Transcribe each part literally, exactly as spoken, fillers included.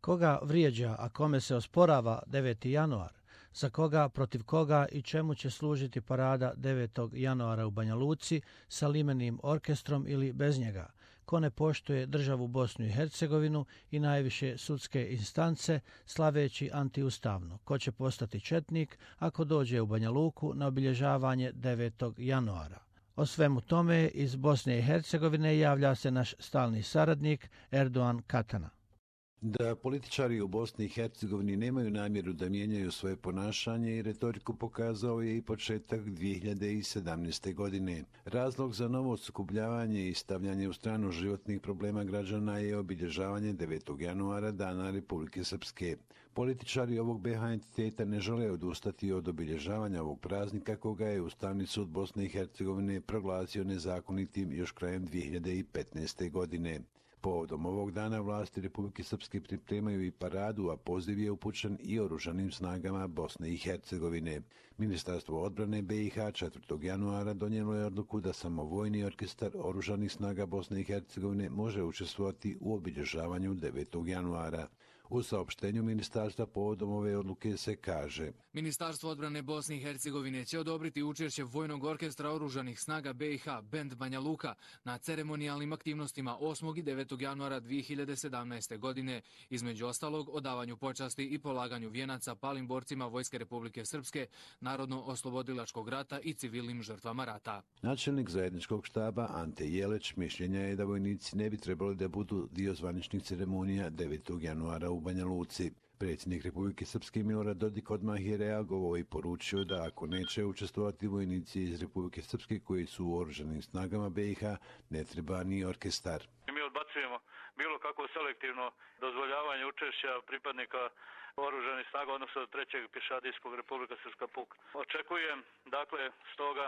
Koga vrijeđa, a kome se osporava deveti januar? Za koga, protiv koga i čemu će služiti parada devetog januara u Banja Luci sa limenim orkestrom ili bez njega? Ko ne poštuje državu Bosnu i Hercegovinu i najviše sudske instance slaveći antiustavno? Ko će postati četnik ako dođe u Banja Luku na obilježavanje devetog januara? O svemu tome iz Bosne i Hercegovine javlja se naš stalni saradnik Erdogan Katana. Da političari u Bosni i Hercegovini nemaju namjeru da mijenjaju svoje ponašanje i retoriku pokazao je i početak dvije hiljade sedamnaeste. godine. Razlog za novo sukobljavanje i stavljanje u stranu životnih problema građana je obilježavanje devetog januara, Dana Republike Srpske. Političari ovog be ha entiteta ne žele odustati od obilježavanja ovog praznika koga je Ustavni sud Bosne i Hercegovine proglasio nezakonitim još krajem dvije hiljade petnaeste. godine. Povodom ovog dana vlasti Republike Srpske pripremaju i paradu, a poziv je upućen i oružanim snagama Bosne i Hercegovine. Ministarstvo odbrane be i ha četvrtog januara donijelo je odluku da samo vojni orkestar oružanih snaga Bosne i Hercegovine može učestvovati u obilježavanju devetog januara. U saopštenju ministarstva povodom ove odluke se kaže: Ministarstvo odbrane Bosne i Hercegovine će odobriti učešće vojnog orkestra oružanih snaga be i ha Bend Banja Luka na ceremonijalnim aktivnostima osmog i devetog januara dvije hiljade sedamnaeste. godine, između ostalog odavanju počasti i polaganju vijenaca palim borcima Vojske Republike Srpske, Narodno-oslobodilačkog rata i civilnim žrtvama rata. Načelnik zajedničkog štaba Ante Jeleć mišljenja je da vojnici ne bi trebali da budu dio zvaničnih ceremonija devetog januara u Banja Luci. Predsjednik Republike Srpske Milorad Dodik odmah je reagovao i poručio da ako neće učestvovati vojnici iz Republike Srpske koji su u oružanim snagama be i ha, ne treba ni orkestar. Mi odbacujemo bilo kakvo selektivno dozvoljavanje učešća pripadnika oružanih snaga, odnosno trećeg pješadijskog Republika Srpska puk. Očekujem, dakle, stoga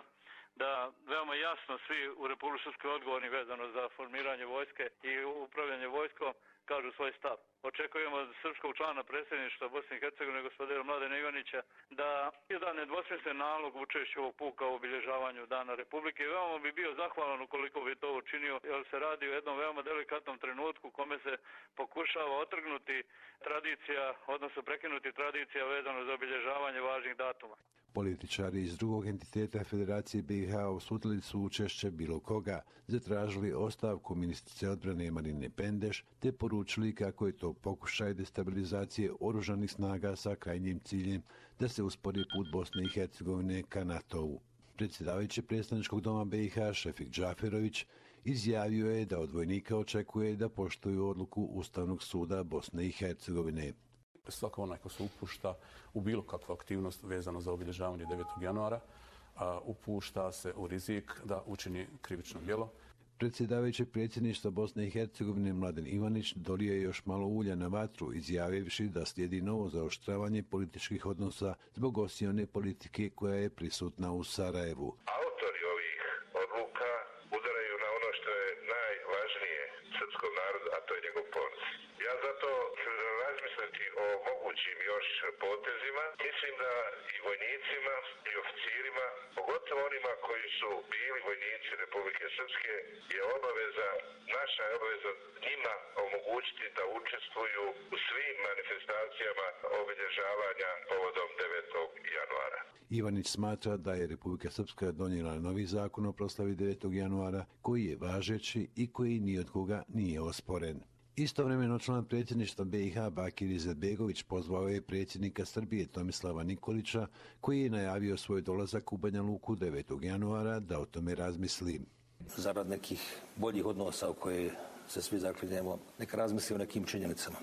da veoma jasno svi u Republike Srpske odgovorni vezano za formiranje vojske i upravljanje vojskom kažu svoj stav. Očekujemo od srpskog člana predsjedništva Bosne i Hercegovine gospodina Mladena Ivanića da da nedvosmislen nalog učešću ovog puka u obilježavanju Dana Republike. Veoma bi bio zahvalan ukoliko bi to učinio, jer se radi o jednom veoma delikatnom trenutku kome se pokušava otrgnuti tradicija, odnosno prekinuti tradicija vezano za obilježavanje važnih datuma. Političari iz drugog entiteta Federacije be i ha osudili su učešće bilo koga, zatražili ostavku ministrice odbrane Marine Pendeš, te poručili kako je to pokušaj destabilizacije oružanih snaga sa krajnjim ciljem da se uspori put Bosne i Hercegovine ka NATO-u. Predsjedavajući predstavničkog doma be i ha Šefik Džaferović izjavio je da od vojnika očekuje da poštuju odluku Ustavnog suda Bosne i Hercegovine. Svako onaj ko se upušta u bilo kakvu aktivnost vezano za obilježavanje devetog januara, a, upušta se u rizik da učini krivično djelo. Predsjedavajući predsjedništva Bosne i Hercegovine Mladen Ivanić dolio je još malo ulja na vatru, izjavivši da slijedi novo zaoštravanje političkih odnosa zbog osione politike koja je prisutna u Sarajevu. Autori ovih odluka udaraju na ono što je najvažnije srpskom narodu, a to je njegov ponos. Ja zato razmisliti o mogućim još potezima. Mislim da i vojnicima i oficirima, pogotovo onima koji su bili vojnici Republike Srpske, je obaveza, naša je obaveza njima omogućiti da učestvuju u svim manifestacijama obilježavanja povodom devetog januara. Ivanić smatra da je Republika Srpska donijela novi zakon o proslavi devetog januara koji je važeći i koji ni od koga nije osporen. Istovremeno član predsjedništva be i ha Bakir Izetbegović pozvao je predsjednika Srbije Tomislava Nikolića, koji je najavio svoj dolazak u Banja Luku devetog januara, da o tome razmisli. Zarad nekih boljih odnosa u koje se svi zaklinjemo, neka razmisli o nekim činjenicama.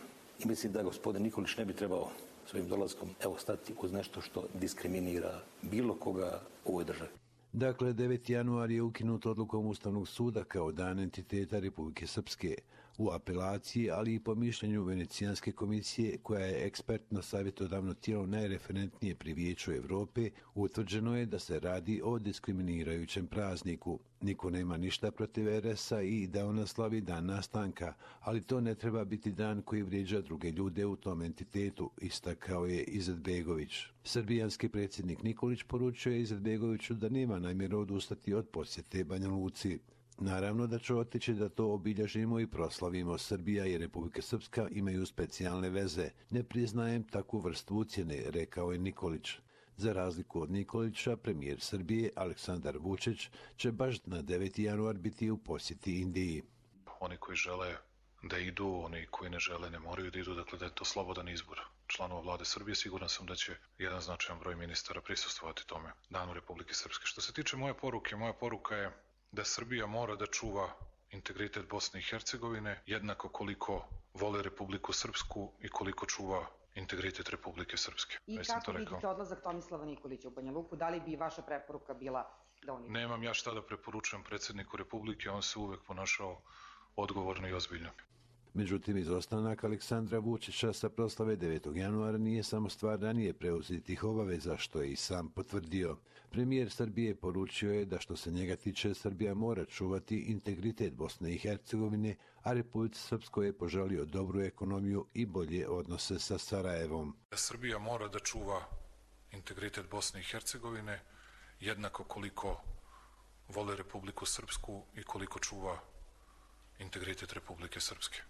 I mislim da gospodin Nikolić ne bi trebao svojim dolaskom evo stati uz nešto što diskriminira bilo koga u ovoj državi. Dakle, deveti januar je ukinut odlukom Ustavnog suda kao dan entiteta Republike Srpske. U apelaciji, ali i po mišljenju Venecijanske komisije, koja je ekspertno savjetodavno tijelo najreferentnije pri Vijeću Evrope, utvrđeno je da se radi o diskriminirajućem prazniku. Niko nema ništa protiv er es a i da ona slavi dan nastanka, ali to ne treba biti dan koji vrijeđa druge ljude u tom entitetu, istakao je Izetbegović. Srbijanski predsjednik Nikolić poručio je Izetbegoviću da nema namjeru odustati od posjete Banja Luci. Naravno da će otići da to obilježimo i proslavimo. Srbija i Republika Srpska imaju specijalne veze. Ne priznajem takvu vrstu ucjene, rekao je Nikolić. Za razliku od Nikolića, premijer Srbije Aleksandar Vučić će baš na deveti januar biti u posjeti Indiji. Oni koji žele da idu, oni koji ne žele ne moraju da idu, dakle da je to slobodan izbor članova vlade Srbije. Siguran sam da će jedan značajan broj ministara prisustvovati tome Danu Republike Srpske. Što se tiče moje poruke, moja poruka je da Srbija mora da čuva integritet Bosne i Hercegovine jednako koliko vole Republiku Srpsku i koliko čuva integritet Republike Srpske. I kako vidite odlazak Tomislava Nikolića u Banja Luku? Da li bi vaša preporuka bila da on... Nemam ja šta da preporučujem predsjedniku Republike, on se uvek ponašao odgovorno i ozbiljno. Međutim, izostanak Aleksandra Vučića sa proslave devetog januara nije samo stvar ranije preuzetih obaveza, što je i sam potvrdio. Premijer Srbije poručio je da što se njega tiče, Srbija mora čuvati integritet Bosne i Hercegovine, a Republici Srpskoj je poželio dobru ekonomiju i bolje odnose sa Sarajevom. Srbija mora da čuva integritet Bosne i Hercegovine jednako koliko vole Republiku Srpsku i koliko čuva integritet Republike Srpske.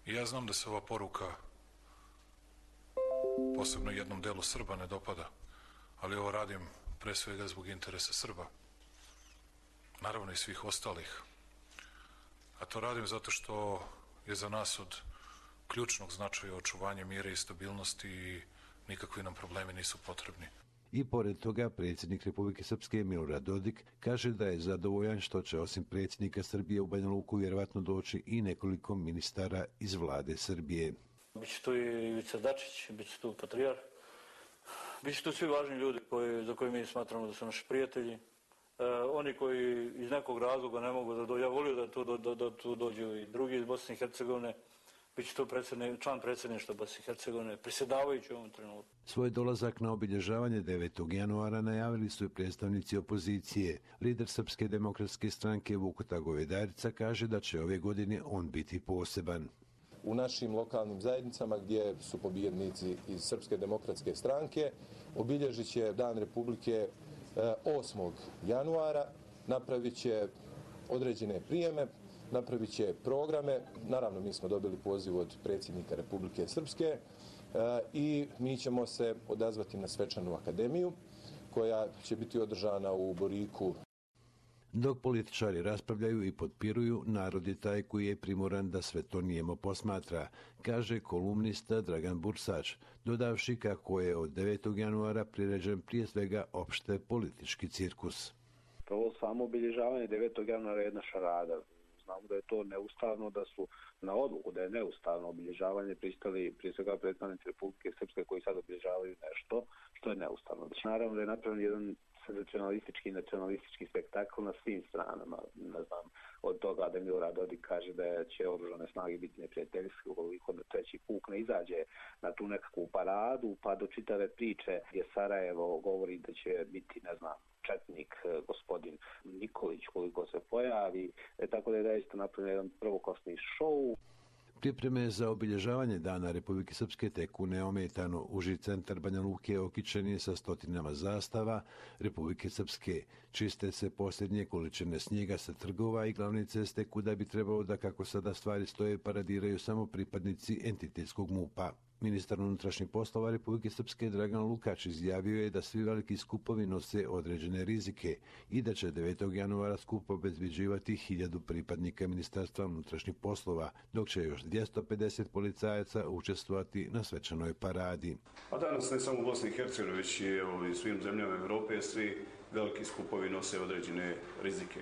I ja znam da se ova poruka posebno jednom delu Srba ne dopada, ali ovo radim pre svega zbog interesa Srba, naravno i svih ostalih. A to radim zato što je za nas od ključnog značaja očuvanje mira i stabilnosti i nikakvi nam problemi nisu potrebni. I pored toga, predsjednik Republike Srpske Milorad Dodik kaže da je zadovoljan što će osim predsjednika Srbije u Banja Luku vjerovatno doći i nekoliko ministara iz vlade Srbije. Biće tu i Ivica Dačić, biće tu Patrijarh, biće tu svi važni ljudi koji, za koje mi smatramo da su naši prijatelji. E, oni koji iz nekog razloga ne mogu da dođu, ja volio da tu, da, da tu dođu i drugi iz Bosne i Hercegovine. Biće to član predsjedništva Bosne i Hercegovine, predsjedavajući u ovom trenutku. Svoj dolazak na obilježavanje devetog januara najavili su i predstavnici opozicije. Lider Srpske demokratske stranke Vukota Govedarica kaže da će ove godine on biti poseban. U našim lokalnim zajednicama gdje su pobjednici iz Srpske demokratske stranke obilježit će Dan Republike osmog januara, napravit će određene prijeme, napravit će programe. Naravno, mi smo dobili poziv od predsjednika Republike Srpske e, i mi ćemo se odazvati na svečanu akademiju koja će biti održana u Boriku. Dok političari raspravljaju i potpiruju, narod je taj koji je primoran da sve to nijemo posmatra, kaže kolumnista Dragan Bursač, dodavši kako je od devetog januara priređen prije svega opšte politički cirkus. Prvo samo obilježavanje devetog januara je jedna šarada. Znamo da je to neustavno, da su na odluku da je neustavno obilježavanje pristali prije svega predstavnici Republike Srpske koji sad obilježavaju nešto što je neustavno. Znači, naravno da je napravljen jedan senzacionalistički i nacionalistički spektakl na svim stranama. Ne znam, od toga da Milorad Dodik kaže da će oružane snage biti neprijateljske ukoliko da treći puk ne izađe na tu nekakvu paradu, pa do čitave priče gdje Sarajevo govori da će biti, ne znam, četnik gospodin Nikolić koliko se pojavi, e, tako da je zaista napravljen jedan prvoklasni šou. Pripreme za obilježavanje Dana Republike Srpske teku neometano. Uži centar Banja Luke okićen je sa stotinama zastava Republike Srpske. Čiste se posljednje količine snijega sa trgova i glavne ceste kuda bi trebalo da, kako sada stvari stoje, paradiraju samo pripadnici entitetskog MUP-a. Ministar unutrašnjih poslova Republike Srpske Dragan Lukač izjavio je da svi veliki skupovi nose određene rizike i da će devetog januara skup obezbeđivati hiljadu pripadnika Ministarstva unutrašnjih poslova, dok će još dvjesto pedeset policajaca učestvovati na svečanoj paradi. A danas ne samo u Bosni i Hercegovini, već i evo, i svim zemljama Europe, svi veliki skupovi nose određene rizike.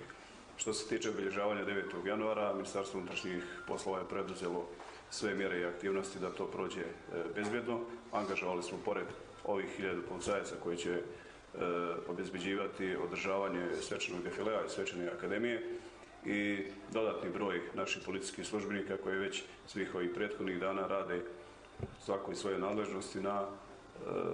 Što se tiče obilježavanja devetog januara, Ministarstvo unutrašnjih poslova je preduzelo sve mjere i aktivnosti da to prođe e, bezbjedno. Angažovali smo pored ovih hiljadu policajaca koji će e, obezbeđivati održavanje svečanog defilea i svečane akademije i dodatni broj naših policijskih službenika koji već svih ovih prethodnih dana rade svakoj svoje nadležnosti na e,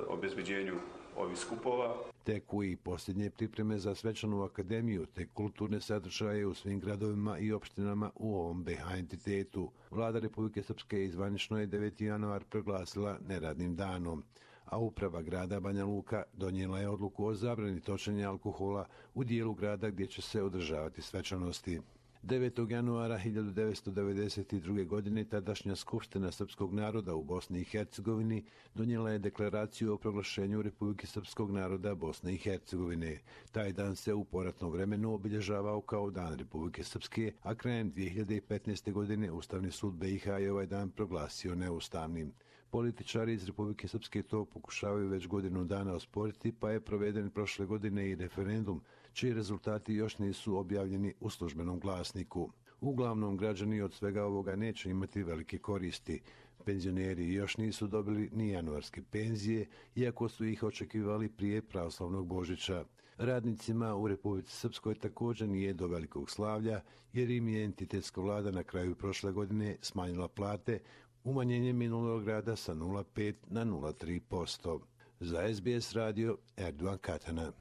obezbeđenju ovih skupova. Teku i posljednje pripreme za svečanu akademiju te kulturne sadržaje u svim gradovima i opštinama u ovom B H entitetu. Vlada Republike Srpske izvanično je deveti januar proglasila neradnim danom. a uprava grada Banja Luka donijela je odluku o zabrani točenja alkohola u dijelu grada gdje će se održavati svečanosti. devetog januara hiljadu devetsto devedeset druge. godine tadašnja Skupština srpskog naroda u Bosni i Hercegovini donijela je deklaraciju o proglašenju Republike srpskog naroda Bosne i Hercegovine. Taj dan se u poratnom vremenu obilježavao kao Dan Republike Srpske, a krajem dvije hiljade petnaeste. godine Ustavni sud B i H je ovaj dan proglasio neustavnim. Političari iz Republike Srpske to pokušavaju već godinu dana osporiti, pa je proveden prošle godine i referendum, čiji rezultati još nisu objavljeni u službenom glasniku. Uglavnom, građani od svega ovoga neće imati velike koristi. Penzioneri još nisu dobili ni januarske penzije, iako su ih očekivali prije pravoslavnog Božića. Radnicima u Republici Srpskoj također nije do velikog slavlja, jer im je entitetska vlada na kraju prošle godine smanjila plate, umanjenje minulog rada sa nula zarez pet na nula zarez tri posto. Za S B S radio, Erdogan Katana.